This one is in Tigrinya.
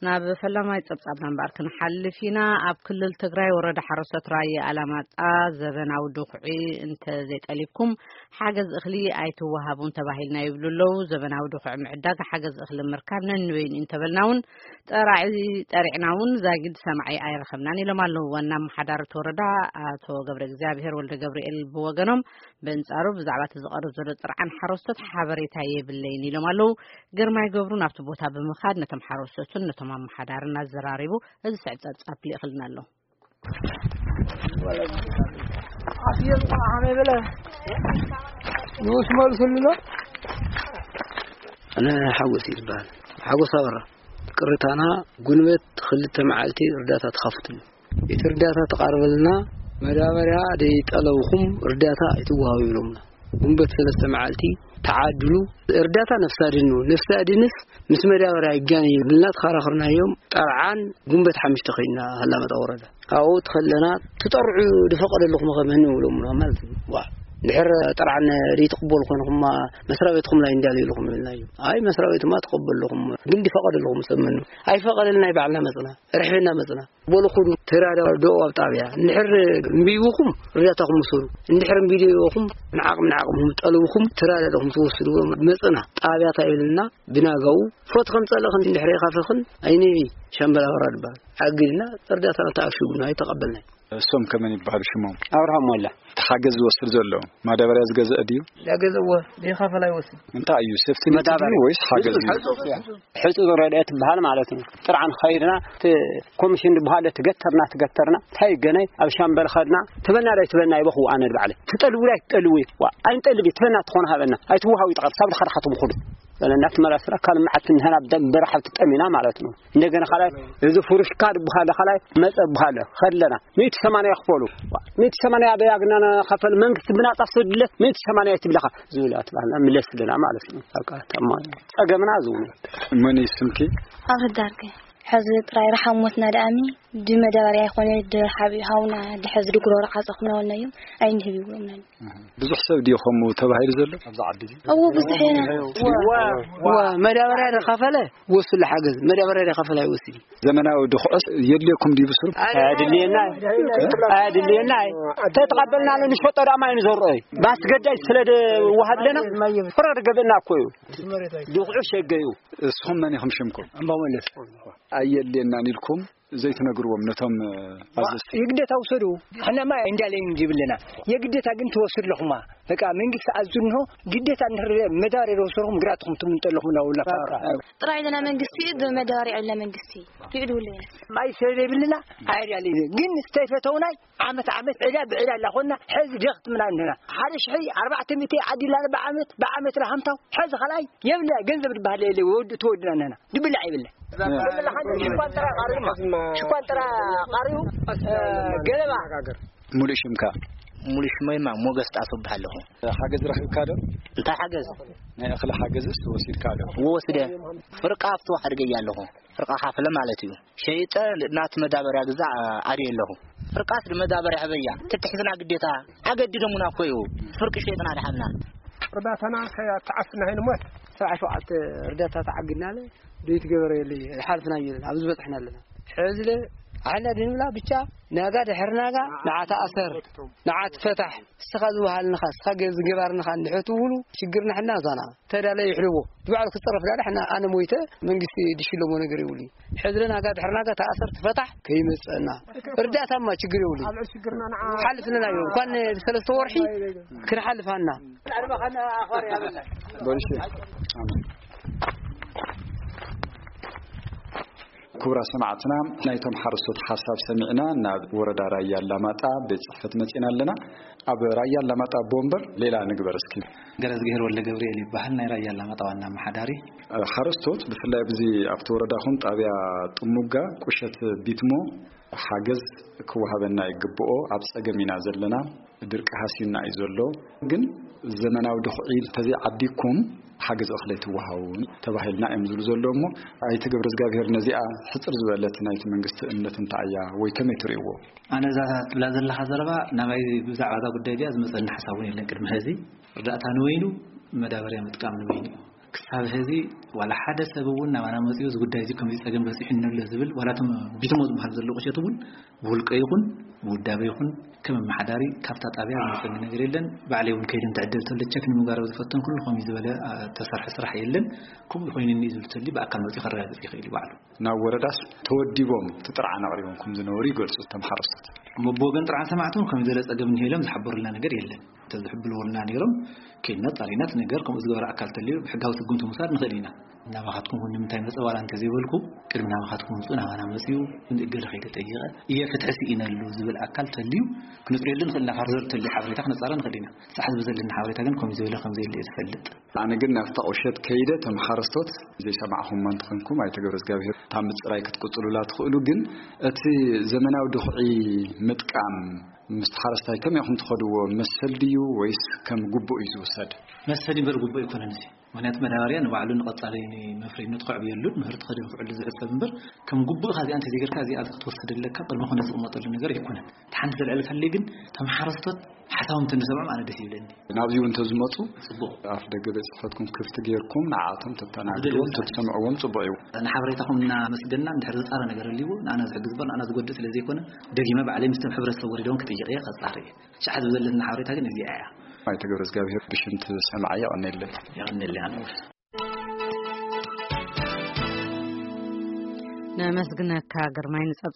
ናብ ፈላማይ ጸብጻብና እምበኣር ክንሓልፍ ኢና። ኣብ ክልል ትግራይ ወረዳ ሓረስቶት ራየ ኣላማጣ ዘበናዊ ድኹዒ እንተዘይጠሊብኩም ሓገዝ እኽሊ ኣይትወሃቡን ተባሂልና ይብሉ ኣለዉ። ዘበናዊ ድኹዒ ምዕዳግ ሓገዝ እኽሊ ምርካብ ነንበይኑ እንተበልና እውን ጠራዒ ጠሪዕና እውን ዛጊድ ሰማዒ ኣይረኸብናን ኢሎም ኣለዉ። ዋና ኣመሓዳሪ እቲ ወረዳ ኣቶ ገብረ እግዚኣብሔር ወልደ ገብርኤል ብወገኖም በንጻሩ ብዛዕባ እቲ ዝቐርብ ዘሎ ጥርዓን ሓረስቶት ሓበሬታ የብለይን ኢሎም ኣለዉ። ግርማይ ገብሩ ናብቲ ቦታ ብምኻድ ነቶም ሓረስቶትን ነቶም ኣመሓዳርን ኣዘራሪቡ እዚ ስዕብ ጸብጻብ ልኢኽልና ኣሎ። ንኡስ መልሱልና። ኣነ ሓጎስ ይበሃል። ሓጎስ ኣበራ። ቅርታና ጉንበት ክልተ መዓልቲ እርዳታ ተኻፍትሉ። እቲ እርዳታ ተቓርበልና መዳበርያ ደይጠለብኹም እርዳታ ኣይትወሃቡ ይብሎምና። ጉንበት ሰለስተ መዓልቲ ተዓድሉ። እርዳታ ነፍሲ ኣድን ነው። ነፍሲ ኣድንስ ምስ መዳበርያ ይጋን ይብልና ተኻራኽርናዮም። ጠርዓን ጉንበት ሓሙሽተ ከይድና ኣላማጣ ወረዳ። ኣብኡ ተኸለና ትጠርዑ ዝፈቐደልኹም ከመን ይብሎምና ማለት ነው። ዋ፣ ድሕር ጠርዓን ደይትቕበሉ ኮይንኹም መስሪያ ቤትኩም ላይ እንዳለ ኢልኹም ይብልናዮ። ኣይ መስሪያ ቤትማ ትቐበልኹም ግን ዝፈቐደልኹም ሰብ መን ኣይፈቐደልና፣ ባዕልና መፅና፣ ርሕብና መፅና። በሉ ኩዱ ተራዳድኡ ኣብ ጣብያ። እንድሕር እምቢ ይብኹም እርዳታኹም ውሰዱ፣ እንድሕር እምቢ ይብኹም ንዓቕም ንዓቕምኹም ጠልብኹም ተራዳድኹም ትወስድዎ መፅና። ጣብያ እንታይ ይብልና ብናጋው ፎት ከም ጸለኽን እንድሕር ኢኻ ፈኽን ኣይንቢ ሻምበል ኣበራ ድበሃል። ኣግድና እርዳታና ተኣሽጉና ኣይተቐበልናይ። እሶም ከመን ይበሃሉ ሽሞም? ኣብርሃም ሞላ። እቲ ሓገዝ ዝወስድ ዘሎ ማዳበርያ ዝገዝአ ድዩ? ዳገዘዎ ዘይኸፈል ኣይወስድ። እንታይ እዩ ሴፍቲ ኔት መዳበርያ። ድዩ ወይስ ሓገዝ እዩ? ሕጹብ ረድኤት ትበሃል ማለት ነው። ጥርዓን ኸይድና እቲ ኮሚሽን ዝበሃለ ትገተርና ትገተርና እንታይ ገናይ ኣብ ሻምበል ኸድና ትበና ዳይ ትበና ይበኽዎ ኣነ ድባዕለ ትጠልቡ ዳይ ትጠልቡ ዋ ኣይንጠልብ ትበና ትኾነ ሃበና ኣይትወሃዊ ጠቐር ሳብ ድኻ ድኻ ትብኹሉ በለና ትመላስና ካልእ መዓት ንህና ደም በረኻ ትጠሚና ማለት ነው። እንደገና ኻላይ እዚ ፍሩሽካ ዝበሃለ ኻላይ መጸ በሃለ ኸለና ሚእቲ ሰማንያ ክፈሉ። ሚእቲ ሰማንያ ኣበይ ኣግናና ኸፈል መንግስቲ ብናጻ ሰድለት ሚእቲ ሰማንያ ትብለኻ ዝብል ኣትባህልና ምለስልና ማለት ነው። በቃ ተማ ጸገምና ዝውነ መን እዩ ስምኪ? ኣብ ህዳርገ ሕዚ ጥራይ ረሓብ ሞትና ደኣሚ ድመዳበርያ ይኾነ ድሓብ ሃውና ድሕዚ ድጉሮሮ ዓጸኹና ወልናዮም ኣይንህብ ይብሎምና። ብዙሕ ሰብ ድዩ ከምኡ ተባሂሉ ዘሎ ኣብዛ ዓዲ እዚ? እዎ ብዙሕ ኢና። ዋ መዳበርያ ደኻፈለ ወስሉ ሓገዝ መዳበርያ ደኻፈለ ኣይወስድ እዩ። ዘመናዊ ድኹዕስ የድልየኩም ድዩ ብስሩ? ኣድልየና ኣድልየና ተተቐበልና ኣሎ ንሸጦ ዳማ እዩ ንዘርኦ እዩ ባስገዳይ ስለ ወሃብለና ፍረ ገብእና እኮ እዩ። ድኹዑ ሸገዩ። እስኹም መን ኢኹም ሽምኩም? ኣምባው መለስ። ኣየድልየናን ኢልኩም ዘይትነግርዎም ነቶም ኣዘዝቲ? ይግደታ ውሰዱ። ሕናማ እንዳለይ እንዲብለና የግደታ ግን ትወስድ ኣለኹማ። በቃ መንግስቲ ኣዙ እንሆ ግደታ እንድሕር መዳበርያ ወሰድኩም ግራትኩም ትምንጠ ኣለኹም እናበሉና። ጥራይ ኢልና መንግስቲ መዳበርያ ኢልና መንግስቲ ይዕድውለይ። ማይ ስለ ዘይብልና ኣይዳለይ ግን ዝተይፈተውናይ ዓመት ዓመት ዕዳ ብዕዳ እናኾንና ሕዚ ደኽትምና እንህና ሓደ ሽሒ ኣርባዕተ ሚእቲ ዓዲልና ብዓመት ብዓመት ላሃምታው ሕዚ ኻልኣይ የብልና ገንዘብ ዝበሃል የለ ወዲ ተወድና እንህና ድብላዕ የብልና። ሽኳን ጥራ ቃሪማ ሽኳን ጥራ ቃሪኡ ገለባ ሙሉእ ሽምካ ሙሉእ ሽመይማ ሞገስ ጣፍ እበሃል ኣለኹ። ሓገዝ ረኺብካ ዶ? እንታይ ሓገዝ? ናይ እኽሊ ሓገዝስ ወሲድካ ዶ? ወስደ ፍርቃ ኣብቲ ዋሕድ ገያ ኣለኹ። ፍርቃ ካፍለ ማለት እዩ። ሸይጠ ናቲ መዳበርያ ግዛዕ ኣርየ ኣለኹ። ፍርቃስ መዳበርያ ህበያ ትትሕዝና ግዴታ ኣገዲዶሙና እኮ እዩ። ፍርቂ ሸይጥና ድሓና። እርዳታና ከይተዓፍና ንሞት። ሰብዓ ሸውዓተ እርዳታ ተዓጊድና ኣለ። ዘይትገበረ የለ ሓልፍና የለን ኣብዚ በፅሕና ኣለና። ሕዚ ለ ኣሕና ድንብላ ብቻ ናጋ ድሕር ናጋ ንዓ ተኣሰር ንዓ ትፈታሕ እስኻ ዝወሃልንኻ እስኻ ገ- ዝገባርንኻ እንድሕር ትውሉ ሽግርና ሕና እዛና ተዳለ ይሕልዎ ብባዕሉ ክፀረፍ ዳለ ሕና ኣነ ሞይተ መንግስቲ ድሽለሞ ነገር ይብሉ ሕዚ ለ ናጋ ድሕር ናጋ ተኣሰር ትፈታሕ ከይመፀና እርዳታማ ችግር የብሉ ሓልፍልና እዮም እንኳን ሰለስተ ወርሒ ክንሓልፋና ክቡራ ሰማዕትና ናይቶም ሓረስቶት ሓሳብ ሰሚዕና ናብ ወረዳ ራያ ኣላማጣ ቤት ፅሕፈት መፂና ኣለና። ኣብ ራያ ኣላማጣ ኣቦ ወንበር ሌላ ንግበር እስኪ። ገረዝግሄር ወልደ ገብርኤል ይበሃል ናይ ራያ ኣላማጣ ዋና ኣመሓዳሪ። ሓረስቶት ብፍላይ ኣብዚ ኣብቲ ወረዳኹም ጣብያ ጥሙጋ ቁሸት ቢትሞ ሓገዝ ክወሃበና ይግብኦ ኣብ ፀገም ኢና ዘለና። ድርቂ ሃስዩና እዩ ዘሎ ግን ዘመናዊ ድኹዒ እንተዘይዓዲግኩም ሓገዝ እኽሊ ኣይትወሃቡን ተባሂልና እዮም ዝብሉ ዘለዉ እሞ ኣይተ ገብረዝጋብሄር ነዚኣ ሕፅር ዝበለት ናይቲ መንግስቲ እምነት እንታይ እያ ወይ ከመይ ትርእይዎ? ኣነ እዛ ትብላ ዘለኻ ዘረባ ናባይ ብዛዕባ እዛ ጉዳይ እዚኣ ዝመፀኒ ሓሳብ እውን የለን ቅድሚ ሕዚ ርዳእታ ንበይኑ መዳበርያ ምጥቃም ንበይኑ እዩ ክሳብ ሕዚ ዋላ ሓደ ሰብ እውን ናባና መጺኡ እዚ ጉዳይ እዚ ከምዚ ጸገም በጺሑኒ ኣሎ ዝብል፣ ዋላ እቶም ቢትሞ ዝበሃል ዘሎ ቁሸት እውን ብውልቀ ይኹን ብውዳበ ይኹን ከም ኣመሓዳሪ ካብታ ጣብያ ዝመጸኒ ነገር የለን። ባዕለይ እውን ከይደ እንተ ዕድል ተሎ ቸክ ንምጋር ዝፈተንኩሉ ከምዚ ዝበለ፣ ኣ፣ ተሰርሐ ስራሕ የለን። ከምኡ ኮይኑ እኒ ዝብል ተሊ ብኣካል መጺኡ ከረጋግጽ ይኽእል እዩ ባዕሉ። ናብ ወረዳስ ተወዲቦም እቲ ጥርዓን ኣቕሪቦም ከም ዝነበሩ ይገልጹ እቶም ሓረስቶት። እሞ ብወገን ጥርዓን ሰማዕቶም ከም ዘለ ጸገም እንሄሎም ዝሓበሩልና ነገር የለን። እንተዝሕብልዎልና ነይሮም ከይድና ጻሪናት ነገር ከምኡ ዝገበረ ኣካል ተልዩ ብሕጋዊ ስጉምቲ ምውሳድ ንኽእል ኢና። ናባኻትኩም እውን ንምንታይ መጸ ዋላ እንተዘይበልኩ ቅድሚ ናባኻትኩም ምጹ ናባና መጽኡ እገለ ከይደ ጠይቐ እየ ፍትሒ ስኢነሉ ዝብል ኣካል ተልዩ ክንጽርየሉ ንኽእል ኢና። ፋርዘር ተልዩ ሓበሬታ ክነጻረ ንኽእል ኢና። ሳሕት ብዘለና ሓበሬታ ግን ከምኡ ዝበለ ከም ዘየለ እየ ዝፈልጥ። ኣነ ግን ናብታ ቁሸት ከይደ ተመሓረስቶት ዘይሰማዕኹም እንተኾንኩም ኣይተገብረ እግዚኣብሔር እታ ምጽራይ ክትቅጽሉላ ትኽእሉ። ግን እቲ ዘመናዊ ድኹዒ ምጥቃም ምስ ሓረስታይ ከመይ ኢኹም ትኸድዎ? መሰል ድዩ ወይስ ከም ግቡእ እዩ ዝውሰድ? መሰል ይንበር ግቡእ ኣይኮነን እዚ። ምኽንያቱ መዳበርያ ንባዕሉ ንቐጻሊ መፍረይነቱ ከዕብየሉን ምህርቲ ከደንፍዐሉ ዝሕሰብ እምበር ከም ግቡእ እዚኣ እንተዘይገርካ እዚኣ ክትወስድ ኣለካ ቅድሚ ኮነ ዝቕመጠሉ ነገር ኣይኮነን። እቲ ሓንቲ ዘልዕለካለይ ግን ተመሓረስቶት ሓሳቦም እንተንሰምዖም ኣነ ደስ ይብለኒ። ናብዚ እውን እንተዝመፁ ፅቡቕ። ኣፍ ደገ ቤት ጽሕፈትኩም ክፍቲ ጌርኩም ንዓኣቶም ተተናግድዎም ተትሰምዕዎም ጽቡቕ እዩ። ንሓበሬታኹም እናመስገንና እንድሕር ዝጻረ ነገር ኣልዎ ንኣና ዝሕግዝ እምበር ንኣና ዝጎድእ ስለ ዘይኮነ ደጊመ ባዕለይ ምስቶም ሕብረተሰብ ወሪዶም ክጥይቕ እየ ከጻሪ እየ። ሸሓት ብዘለትና ሓበሬታ ግን እዚኣ እያ። ኣይተገብረ እግዚኣብሔር ብሽም እቲ ሰማዒ የቐነየለይ። የቐነየለይ ኣነ እውን። ነመስግነካ ግርማይ ንጸብጻብ